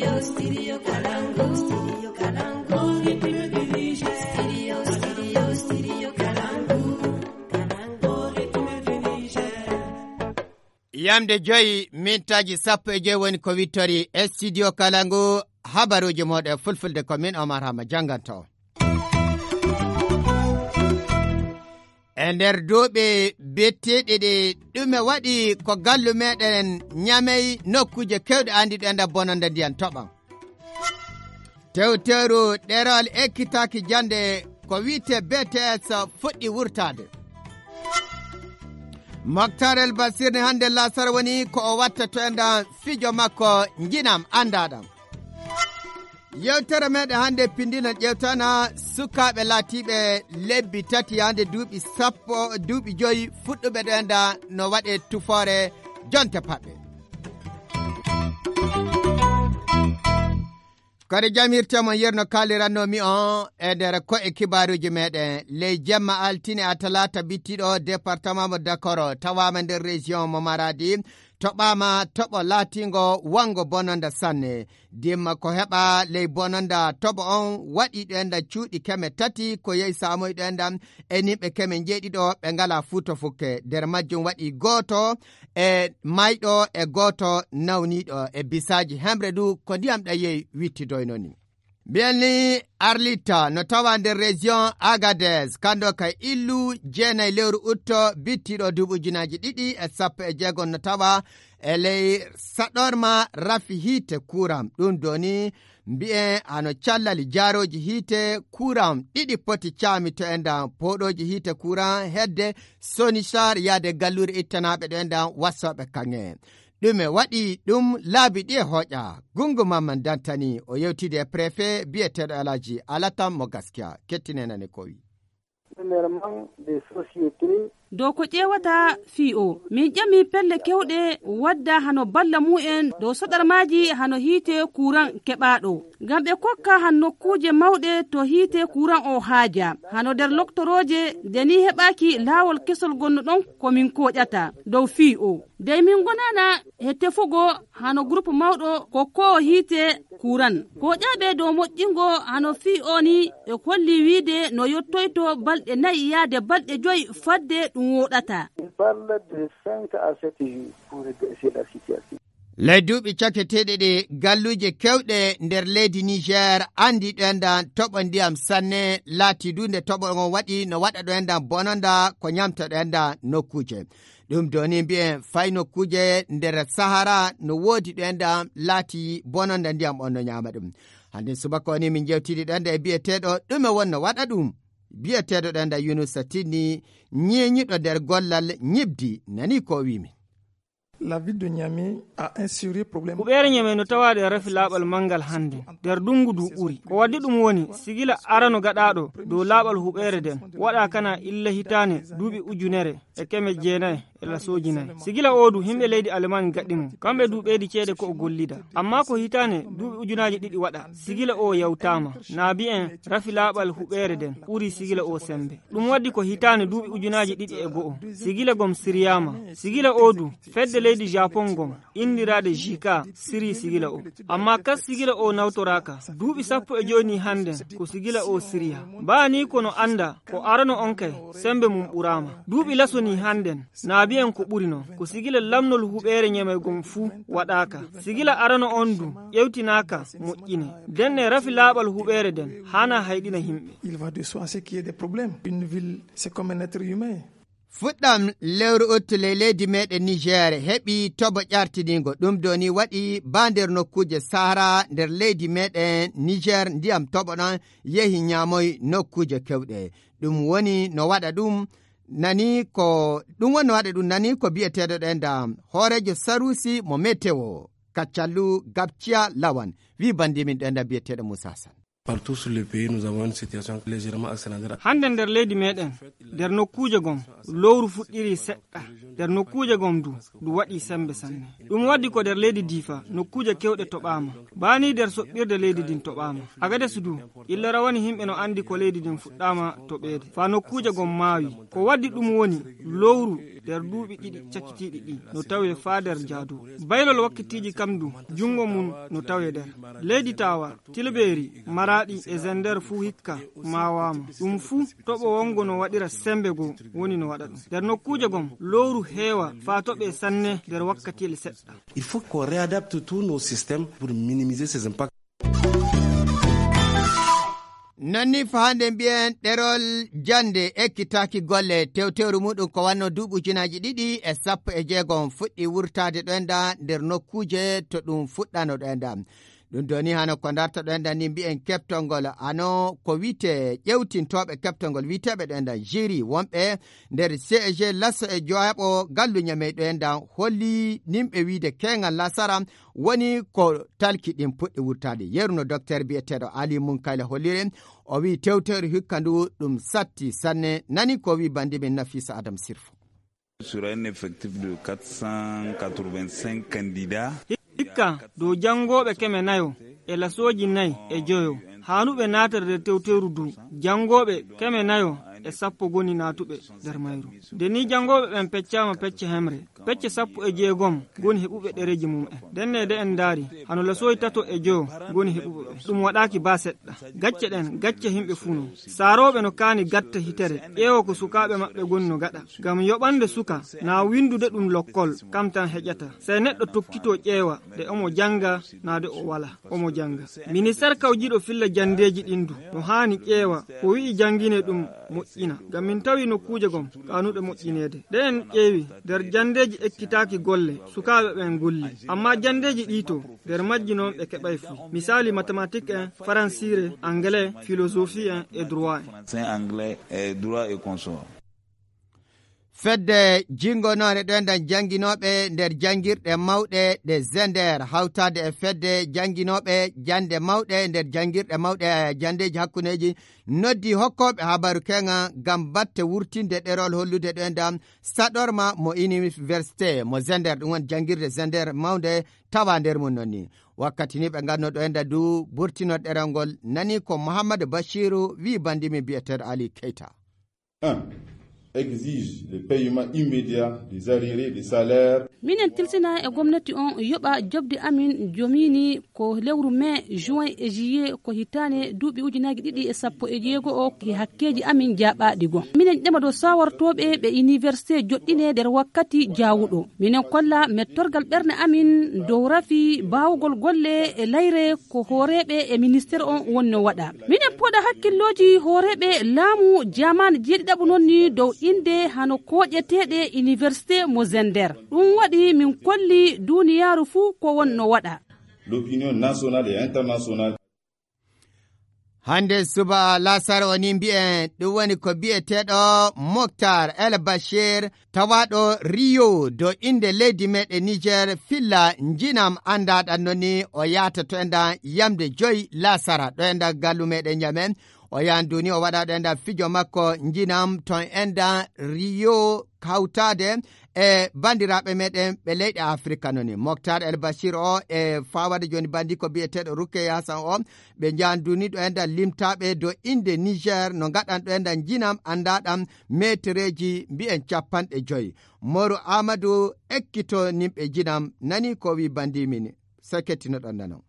Studio Kalangu. Studio Kalangu. Studio Kalangu. Yamde joyi mintaji 10 woni ko wittori Studio Kalangu. Habaruji moɗe fulfulde ko min Omar Hama janganto. E nder duuɓi betteɗe ɗe ɗume waɗi ko gallu meɗen nyamey nokkuje kewɗe andiɗe enda bononde ndiyan toɓam. Tewteru ɗerol ekkitaki jande ko wiite BTS fuɗɗi wurtade. Mokhtar El Basir hande lasar woni ko o watta to enda fijo makko jinam andaɗam. Yewtere meɗen hande pindinan ƴewtana sukaɓe laatiɓe lebbi tati hande duuɓi 5 fuɗɗuɓe ɗo enda no waɗe tufore jonte paɓɓe. Kadi jamirtemo yerno kalirannomi on e nder ko'e kibaruji meɗen ley jemma altine a talata bittiɗo département mo Dakoro tawama nder région mo Maradi toɓama toɓo laatingo wango bononda sanne dimma ko heɓa ley bononda toɓo on waɗi ɗo enda cuuɗi 3 ko yehi samoyɗo enda e nimɓe 7 ɓe ngala fuuto fukke nder majjum waɗi goto e mayɗo e goto nawniɗo e bisaji hemre du ko ndiyam ɗayeyi wittidoynoni. Bielni Arlita no tawa nder région Agadez kando kay illu 9 lewru utto bittiɗo duɓujunaji 216 no tawa e ley saɗorma rafi hiite kuram ɗum doni mbi'e ano callali jaaroji hiite kuram 2 poti caami to enda poɗoji hiite kuram hedde Sonishar yaade gallure ittanaɓe ɗo enda wassoɓe kange. ɗume waɗi ɗum laabi ɗi e hooƴa gungu mamman dantani o yewtide e préfet biyeteɗo alaji alatam mo gaskiya kettinenane ko wi dow ko ƴewata fi'o min ƴami pelle kewɗe wadda hano balla mu'en dow soɗarmaji hano hiite kuran keɓaɗo ngam ɓe kokka han nokkuje mawɗe to hiite kuran o haaja hano nder loktoroje deni heɓaki laawol kesol gonno ɗon komin koƴata dow fi'o dey min gonana he tefugo hano groupe mawɗo kokko hiite kuran ko ƴaɓe dow moƴƴingo hano fi'o ni e kolli wiide no yottoyto balɗe 4 yaade balɗe 5 fadde ɗum woɗata. ley duuɓi caketeɗe ɗe galluje kewɗe nder leydi Niger andi ɗo enda toɓo ndiyam sanne laati du nde toɓo on waɗi no waɗa ɗo enda bononda ko ñamta ɗo enda nokkuje ɗum doni mbi'en fay nokkuje nder Sahara no woodi ɗo enda laati bononda ndiyam on no ñama ɗum hande subaka woni min jewtidi ɗo enda e biyeteɗo ɗume wonno waɗa ɗum biyeteɗo ɗo enda Yunusa Tinni ñeñiɗo nder gollal ñibdi nani ko wimi. La ville de Niamey a un sérieux problème. Kuɓeere Niamey no tawaade refi laaɓal mangal hannde nder dungu du ɓuri ko waddi ɗum woni sigila arano gaɗaɗo dow laaɓal huɓeere den waɗa kana illa hitane duuɓi ujunere e 900 e lasoji 4 sigila odu himɓe leydi Allemagne gaɗɗimo kamɓe duuɓeedi ceede ko o gollida amma ko hitane duuɓi ujunaji 2 waɗa sigila o yawtama naabi en rafi laaɓal huɓeere den ɓuri sigila o sembe ɗum waddi ko hitane duuɓi ujunaji 2 sigila gom siriyama sigila odu fedde leydi Japon gom indirade jika siri sigila o amma kas sigila o nawtoraka duuɓi 15 handen ko sigila o siriya baani kono anda ko arano on kay sembe mum ɓurama duuɓi lasoni handen naabi en ko ɓuri non ko sigila lamnol huɓeere Niamey gom fuu waɗaka sigila arano on du ƴewtinaka moƴƴine den e rafi laaɓal huɓeere den hana hayɗina himɓe. Il va de soi qu'il y ait des problèmes. Une ville c'est comme un être humain. fuɗɗam lewru uttule leydi meɗen Niger heɓi toɓo ƴartinigo ɗum doni waɗi ba nder nokkuje Sahara nder leydi meɗen Niger ndiyam toɓo ɗon yehi ñamoy nokkuje kewɗe ɗum woni no waɗa ɗum nani ko biyeteɗo ɗo enda hoorejo Sarusi mo météo Kacallu Gabcia Lawan wi bandimin ɗo enda biyeteɗo Moussa San. Partout sur le pays, nous avons une situation légèrement accélérée. Hande nder leydi meɗen nder nokkuje gom lowru fuɗɗiri seɗɗa nder nokkuje gom du waɗi sembe sanne ɗum waddi ko nder leydi Difa nokkuje kewɗe toɓama bani nder soɓɓirde leydi din toɓama Agadez du illa rawani himɓe no andi ko leydi din fuɗɗama toɓede fa nokkuje gom maawi ko waddi ɗum woni lowru nder duuɓi ɗiɗi cakkitiiɗi ɗi no tawe faa nder jaadu. Baylol wakkatiiji kamdu jungo mum no tawe nder leydi Tawa, Tilbeeri, Maraɗi e Zender fuu hikka maawaama. Ɗum fuu toɓo wongo no waɗira sembe goo woni no waɗa ɗum. Nder nokkuuje gom lowru heewa faa toɓe sanne nder wakkatiel seɗɗa. Il faut qu'on réadapte tous nos systèmes pour minimiser ces impacts. nonni fahande mbiyen ɗerol jande ekkitaki golle tewtewru muɗum ko wanno duuɓujunaji 2016 fuɗɗi wurtade ɗoenda nder nokkuje to ɗum fuɗɗano ɗoenda ɗum doni hano ko darta ɗoenda ni mbiyen keftolngol hano ko wite ƴewtintoɓe keftolngol witeɓe ɗoenda jiri wonɓe nder CEG lasso e joyaɓo galluña mey ɗoenda holli nimɓe wiide kengal lasara woni ko talki ɗin puɗɗi wurtade yeruno docteur biyeteɗo Ali Munkaila hollire o wi tewtere hikka ndu ɗum satti sanne nani ko wi bandimin Nafisa Adam Sirfo. Sur un effectif de 485 candidats. Hikka dow jangoɓe keme nayo e lasoji nayi e joyo hanuɓe natorde tewteru du jangoɓe keme nayo e sappo goni natuɓe nder mayru. Deni jangoɓe ɓen peccama pecce hemre pecce 16 goni heɓuɓe ɗereji mum'en dennede en daari hano lasoyi tato e joyo goni heɓuɓe ɓe ɗum waɗaki ba seɗɗa gacce ɗen gacce himɓe funo saroɓe no kaani gatta hitere ƴeewo ko sukaɓe maɓɓe goni no gaɗa gam yoɓande suka na windude ɗum lokkol kam tan heƴata sey neɗɗo tokkito ƴeewa de omo janga nade o wala omo janga. Ministére kawjiɗo filla jandeji ɗindu no haani ƴeewa ko wi'i jangine ɗum moƴƴina gam min tawi nokkuje gom kanuɗe moƴƴinede ɗe en ƴeewi nder jandeji ekkitaki golle sukaɓe ɓen golli amma jandeji ɗito nder majji noon ɓe keɓay fu misali mathématique en faransire anglais philosophie en et droit anglais et droit et consort. Fedde jingonore ɗoenda janginoɓe nder jangirɗe mawɗe ɗe Zender hawtade e fedde janginoɓe jande mawɗe nder jangirɗe mawɗe jandeji hakkuneji noddi hokkoɓe habaru kenga gam batte wurtinde ɗerol hollude ɗoenda saɗorma mo université mo Zender ɗum woni jangirde Zender mawde tawa nder mum nonni wakkati ni ɓe ganno ɗoenda du burtino ɗerol ngol nani ko Mouhamadou Bachiru wi bandimi biyeteɗo Ali Keita. Exige le paiement immédiat des arriérés des salaires. Minen tilsina e gomnati on yoɓa jobde amin jomini ko lewru mai juin e juillet ko hitane duuɓi ujunaji 2016 o ki hakkeji amin jaɓaɗi gon minen ƴema dow sawartoɓe ɓe université joɗɗine nder wakkati jawuɗo minen kolla mettorgal ɓerne amin dow rafi bawugol golle e layre ko hooreɓe e ministére on wonno waɗa minen poɗa hakkilloji hooreɓe laamu jamane jeeɗiɗaɓo noon ni dow inde hano koƴeteɗe université mo Zender ɗum waɗi min kolli duniyaru fuu ko wonno waɗa. L'opinion nationale et internationale. Hande suba lasar woni mbi'en ɗum woni ko bi'eteɗo Mokhtar El Bashir tawaɗo Rio do inde leydi meɗen Niger filla jinam andaɗan noni o yata to enda yamde 5 lasara ɗo enda gallu meɗen nyamen o yanduni o waɗa ɗo enda fijo makko jinam ton enda Rio hawtade e bandiraɓe meɗen ɓe leyɗe Afrika noni Mokhtar El Bashir o e fawade joni bandi ko biyeteɗo Rukeya Hassan o ɓe janduni ɗo enda limtaɓe do inde Niger no gaɗan ɗo enda jinam andaɗam metreji mbi'en 50 Moro Amadou ekkito nimɓe jinam nani ko wi bandi min sekettino ɗon nanon.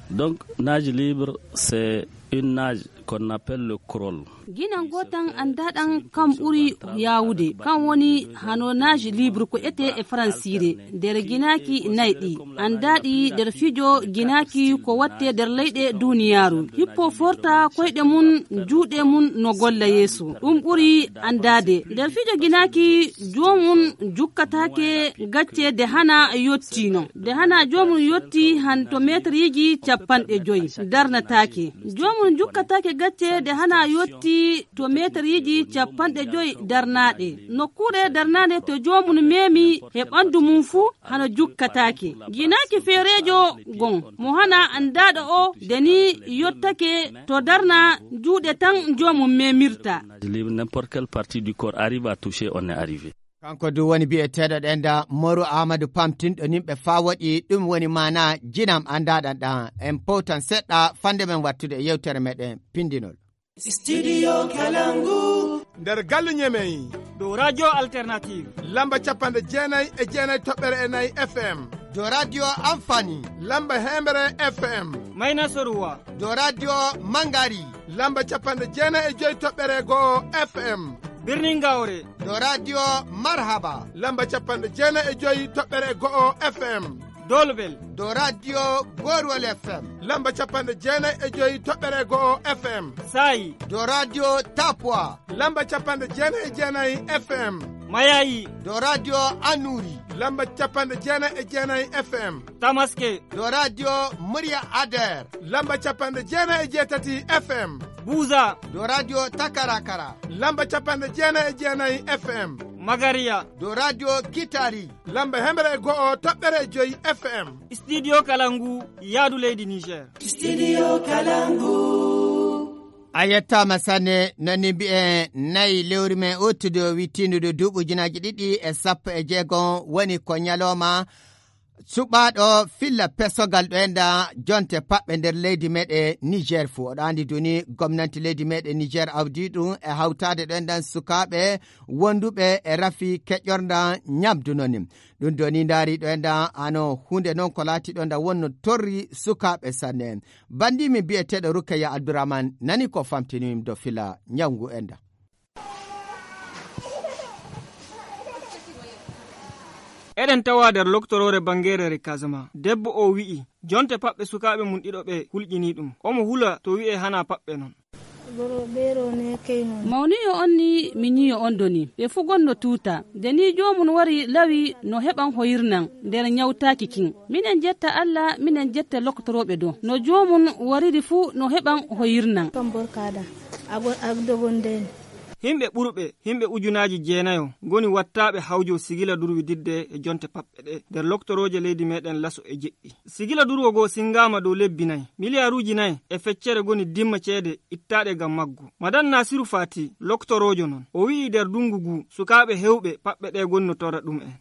Donc nage libre c'est une nage qu'on appelle le crawl. Ginan gotan andaɗan kam ɓuri yawude kan woni hano nage libre ko ete e francire nder ginaki nayɗi andaɗi nder fijo ginaki ko watte nder leyɗe duniyaru hippo forta koyɗe mun juuɗe mun no golla yeeso ɗum ɓuri andade nder fijo ginaki jomum jukkatake gacce de hana yottino de hana jomum yotti han to metriji 50 darnatake jomum jukkatake gacce de hana yotti to metriji 50 darnaɗe nokkuɗe darnade to jomum memi he ɓandu mum fu hana jukkatake ginaki feerejo gon mo hana andaɗo o deni yottake to darna juuɗe tan jomum memirta. N'importe quelle partie du corps arrive à toucher, on est arrivé. Kanko du woni bi'eteɗo ɗenda Moro Amadou pamtinɗo nimɓe fa waɗi ɗum woni mana jinam andaɗan ɗan en powtan seɗɗa fande men wattude e yewtere meɗen pindinol. Studio Kalangu. nder gallu Ñemeyi dow radio alternative lamba 99.4 FM do radio Amfani lamba 100 FM Mayna Soruwa do radio Mangari lamba 95.1 FM birnin Gawre do radio Marhaba lamba 95.1 FM Dolbel do radio Gorwal FM lamba 95.1 FM Sai do radio Tapwa lamba 99 FM Mayayi do radio Anuri lamba 99 FM Tamaske do radio Murya Ader lamba 98 FM Buza do radio Takarakara lamba 99 FM Magaria do radio Kitari lamba 101.5 FM Studio Kalangu Yadu Lady Niger Studio Kalangu ayetta masane nani bi'e nayi lewri men ottude wittinude duuɓi ujunaji 2016 woni ko nyaloma suɓaɗo filla pesogal ɗo enda jonte paɓɓe nder leydi meɗe Niger fu oɗo andi duni gomnati leydi meɗe Niger awdi ɗum e hawtade ɗo endan sukaɓe wonduɓe e rafi keƴorda nyamdunoni ɗum doni ndaari ɗo enda ano hunde noon ko laati ɗo nda wonno torri sukaɓe sanne bandimi bi'eteɗo Rukaya Abdourahmane nani ko famtinimi do fila nyangu enda. Eɗen tawa nder loktorore bangerere Kasama debbo o wi'i jonte paɓɓe sukaɓe mum ɗiɗo ɓe hulƴini ɗum omo hula to wi'e hana paɓɓe non. Mawniyo on ni minyiyo on doni ɓe fu gonno tuuta deni jomum wari lawi no heɓan hoyirnan nder nyawtaki kin minen jetta Allah minen jetta loktoroɓe do no jomum wariri fu no heɓan hoyirnan himɓe ɓurɓe himɓe ujunaji 9 goni wattaɓe hawjo sigila durwi didde e jonte paɓɓe ɗe nder loktoroje leydi meɗen laso e jeƴƴi sigila durwo go singama dow lebbi 4 miliyaruji 4 e feccere goni dimma ceede ittaɗe gam maggo madan Nasiru Fati loktorojo non o wi'i nder dungu gu sukaɓe hewɓe paɓɓe ɗe goni no torra ɗum en.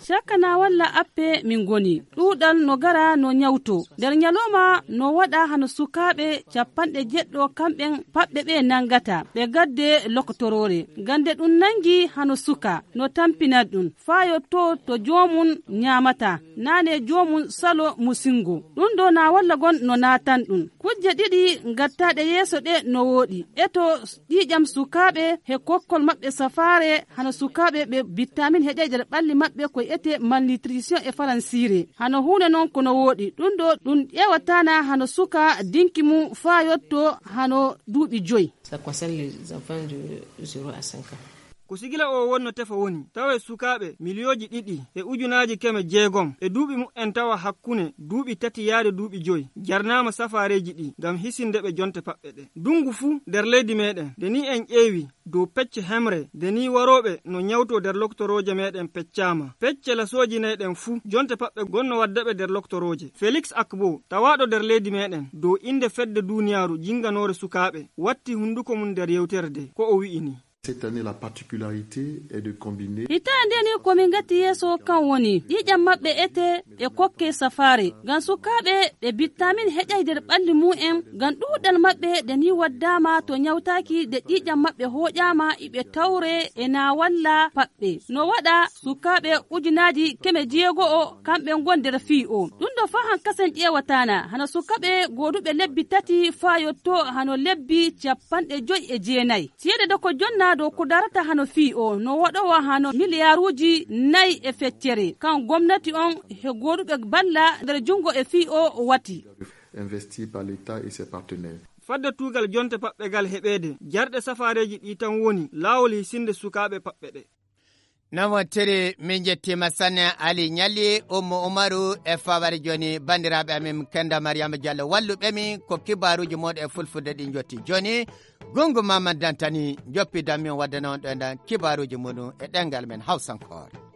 Sakana walla appe min goni ɗuɗal no gara no nyawto nder nyaloma no waɗa hano sukaɓe 70 kamɓen paɓɓe ɓe nangata ɓe gadde loktorore gande ɗum nangi hano suka no tampina ɗum fayotto to jomum nyamata nane jomum salo musingo ɗum do na walla gon no natan ɗum kujje ɗiɗi gattaɗe yeso ɗe no woɗi eto ƴiƴam sukaɓe he kokkol maɓɓe safare hano sukaɓe ɓe vitamin heƴe nder ɓalli maɓɓe ko ete malnutrition e faransire hano hunde noon kono woɗi ɗum ɗo ɗum ƴewatana hano suka dinki mum fa yotto hano duuɓi 5. Ça concerne les enfants de 0 à 5 ans. ko sigila o wonno tefa woni tawa sukaɓe miliyoji 2 e ujunaji 600 e duuɓi mu'en tawa hakkune duuɓi 3 yaade duuɓi 5 jarnama safareji ɗi gam hisindeɓe jonte paɓɓe ɗe dungu fu nder leydi meɗen deni en ƴeewi dow pecce hemre deni waroɓe no nyawto nder loktoroje meɗen peccama pecce lasoji nayɗen fu jonte paɓɓe gonno waddaɓe nder loktoroje Félix Akbo tawaɗo nder leydi meɗen dow inde fedde duniyaru jinganore sukaɓe watti hunduko mum nder yewterde ko o wi'ini. Cette année, la particularité est de combiner. Hitande ni ko min gatti yeso kan woni ƴiƴam maɓɓe ete e kokke safare gan sukaɓe ɓe vitamin heƴay nder ɓalli mu'en gan ɗuɗal maɓɓe de ni waddama to nyawtaki de ƴiƴam maɓɓe hoƴama iɓe tawre e na walla paɓɓe no waɗa sukaɓe ujunaji 9 kamɓe gonder fi o ɗum ɗo fa han kasen ƴewatana hana sukaɓe goduɓe lebbi 3 fa yotto hano lebbi 59 siyede do ko jonna do ko darata hano fi o no waɗowa hano miliyaruji 4 e feccere kan gomnati on he goduɓe balla nder jungo e fi o wati investi par l'État et ses partenaires. Fadde tugal jonte paɓɓe gal heɓede jarɗe safareji ɗi tan woni lawol hisinde sukaɓe paɓɓe ɗe. Namotere min jettima sanne Ali Nyalli Ummu Umaru e fawari joni bandiraɓe amin Kenda Mariama Diallo walluɓemi ko kibaruji moɗo e fulfulde ɗi jotti joni Gungu Mamad Dantani joppi dammin waddana on ɗo e kibaruji muɗum e ɗengal men Hausankore.